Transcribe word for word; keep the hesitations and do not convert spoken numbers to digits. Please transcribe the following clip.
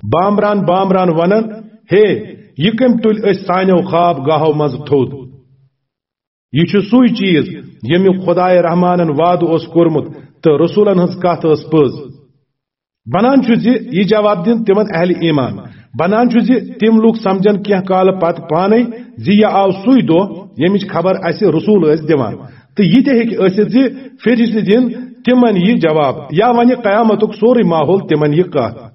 بامبران بامبران ونان، ہے، یہ کٔمۍ تُلۍ أسۍ سانیو خواب گاہو منٛز تھوٚد؟ یہ چھُ سُے چیز ییٚمیُک خدائے رحمانن وعدٕ اوس کوٚرمُت تہٕ رسولن ہٕنٛز کتھ ٲس پٔز۔ بنان چھُ زِ یہِ جواب دِن تِمن اہل ایمان۔ بنان چھُ زِ تِم لوٗکھ سمجھن کینٛہہ کالہٕ پتہٕ پانے زِ یہِ آو سُے دۄہ ییٚمِچ خبر اسہِ رسول ٲسۍ دِوان۔ تہٕ یہِ تہِ ہیٚکہِ ٲسِتھ زِ فرشتہٕ دِن تِمن یہِ جواب، یا ونہِ قیامتُک سورُے ماحول تِمن یہِ کتھ۔